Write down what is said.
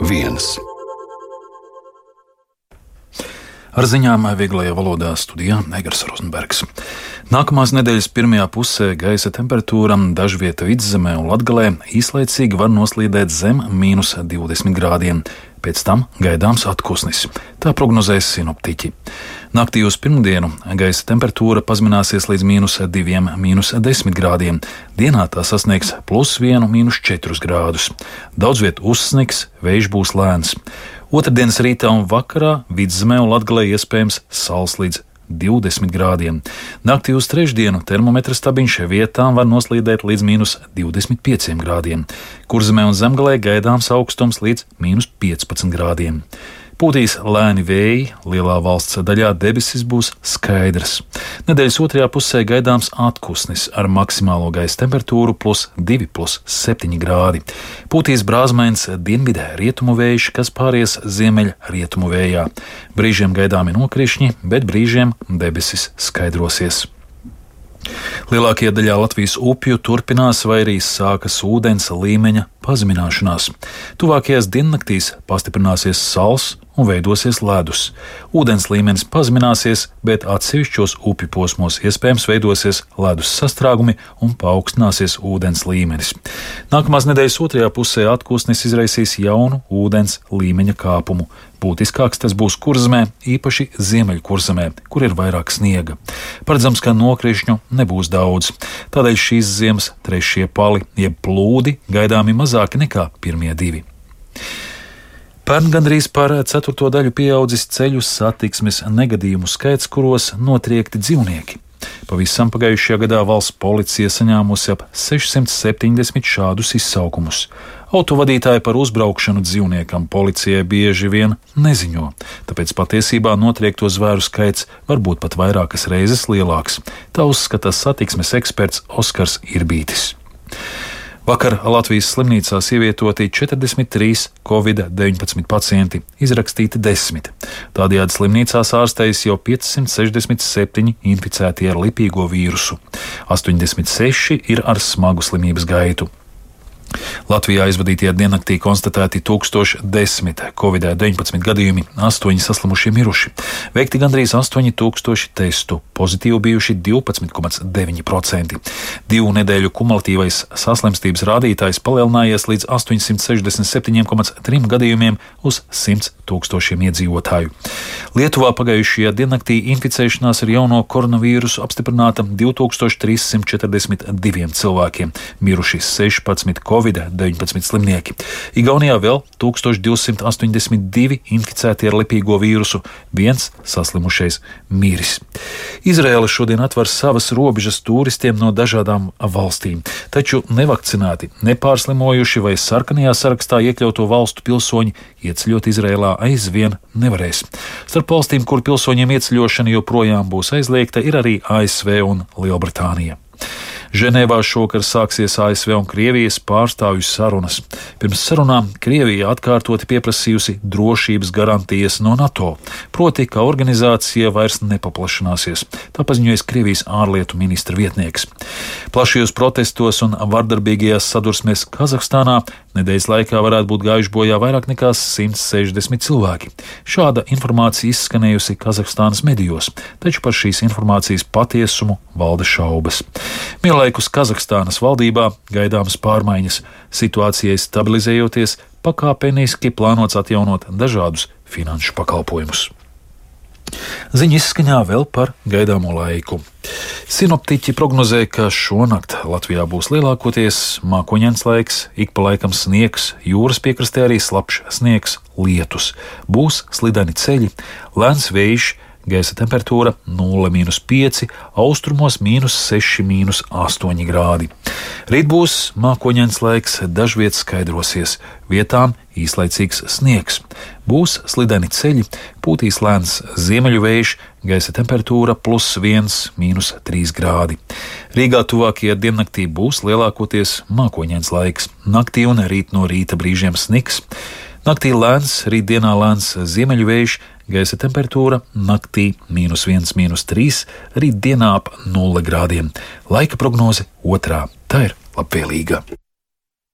viens. Ar ziņām vieglajā valodā studijā Egars Rozenbergs. Nākamās nedēļas pirmajā pusē gaisa temperatūra dažvieta Vidzemē un Latgalē īslaicīgi var noslīdēt zem -20 grādiem. Pēc tam gaidāms atpūsnis. Tā prognozēs sinoptiķi. Naktī uz pirmdienu gaisa temperatūra pazemināsies līdz -2, -10 grādiem. Dienā tā sasniegs +1, -4 grādus. Daudz viet uzsnigs, vējš būs lēns. Otrdienas rītā un vakarā Vidzemē un Latgalē iespējams sals līdz 20 grādiem. Naktī uz trešdienu termometra stabiņš vietām var noslīdēt līdz -25 grādiem. Kurzemē un Zemgalē gaidāms augstums līdz -15 grādiem. Pūtīs lēni vēji, lielā valsts daļā debesis būs skaidrs. Nedēļas otrajā pusē gaidāms atpūsnis ar maksimālo gaisa temperatūru +2, +7 grādi. Pūtīs brāzmains dienvidē rietumu vējš, kas pāries ziemeļ rietumu vējā. Brīžiem gaidāmi nokrišņi, bet brīžiem debesis skaidrosies. Lielākajā daļā Latvijas upju turpinās vai arī sākas ūdens līmeņa pazemināšanās. Tuvākajās diennaktīs pastiprināsies sals un veidosies ledus. Ūdens līmenis pazemināsies, bet atsevišķos upju posmos iespējams veidosies ledus sastrēgumi un paaugstināsies ūdens līmenis. Nākamās nedēļas otrajā pusē atpūsnis izraisīs jaunu ūdens līmeņa kāpumu. Būtiskāks tas būs Kurzemē, īpaši Ziemeļkurzemē, kur ir vairāk sniega. Paredzams, ka nokrišņu nebūs daudz. Tādēļ šīs ziemas trešie pali, jeb plūdi, gaidāmi mazāki nekā pirmie divi. Pērn gandrīz par 1/4 daļu pieaudzis ceļu satiksmes negadījumu skaits, kuros notriekti dzīvnieki. Pavisam pagājušajā gadā valsts policija saņēmusi ap 670 šādus izsaukumus. Autovadītāji par uzbraukšanu dzīvniekam policijai bieži vien neziņo, tāpēc patiesībā notriekto zvēru skaits var būt pat vairākas reizes lielāks. Tā uzskata satiksmes eksperts Oskars Irbītis. Vakar Latvijas slimnīcās ievietoti 43 Covid-19 pacienti, izrakstīti 10. Tādējādi slimnīcās ārstējas jau 567 inficēti ar lipīgo vīrusu. 86 ir ar smagu slimības gaitu. Latvijā aizvadītajā diennaktī konstatēti 1010 Covid-19 gadījumi, 8 saslimušie miruši. Veikti gandrīz 8000 testu, pozitīvi bijuši 12,9%. 2 nedēļu kumulatīvais saslimstības rādītājs palielinājies līdz 867,3 gadījumiem uz 100 000 iedzīvotāju. Lietuvā pagājušajā diennaktī inficēšanās ar jauno koronavīrusu apstiprināta 2342 cilvēkiem, miruši 16 Covid-19 slimnieki. Igaunijā vēl 1282 inficēti ar lipīgo vīrusu, 1 saslimušais miris. Izraēla šodien atver savas robežas turistiem no dažādām valstīm, taču nevakcinēti, nepārslimojuši vai sarkanajā sarakstā iekļauto valstu pilsoņi ieceļot Izraēlā aizvien nevarēs. Starp valstīm, kur pilsoņiem ieceļošana joprojām būs aizliegta, ir arī ASV un Lielbritānija. Ženēvā šovakar sāksies ASV un Krievijas pārstāvju sarunas. Pirms sarunām Krievija atkārtoti pieprasījusi drošības garantijas no NATO, proti, ka organizācija vairs nepaplašināsies. Tā paziņoja Krievijas ārlietu ministra vietnieks. Plašajos protestos un vardarbīgajās sadursmēs Kazahstānā nedēļas laikā varētu būt gājuši bojā vairāk nekā 160 cilvēki. Šāda informācija izskanējusi Kazahstānas medijos, taču par šīs informācijas patiesumu valda šaubas. Vienlaikus Kazahstānas valdībā gaidāmas pārmaiņas, situācijai stabilizējoties, pakāpeniski plānots atjaunot dažādus finanšu pakalpojumus. Ziņa izskaņā vēl par gaidāmo laiku. Sinoptiķi prognozē, ka šonakt Latvijā būs lielākoties mākoņains laiks, ik pa laikam sniegs, jūras piekrastē arī slapjš sniegs, lietus. Būs slideni ceļi, lēns vējš, gaisa temperatūra 0,5, austrumos -6, -8 grādi. Rīt būs mākoņains laiks, dažviet skaidrosies, vietām īslaicīgs sniegs. Būs slideni ceļi, pūtīs lēns ziemeļu vējš, gaisa temperatūra +1, -3 grādi. Rīgā tuvākajā diennaktī būs lielākoties mākoņains laiks. Naktī un rīt no rīta brīžiem sniks. Naktī lēns, rītdienā lēns ziemeļu vējš, gaisa temperatūra naktī -1, -3, rītdienā ap 0 grādiem. Laika prognoze otrā, tā ir labvēlīga.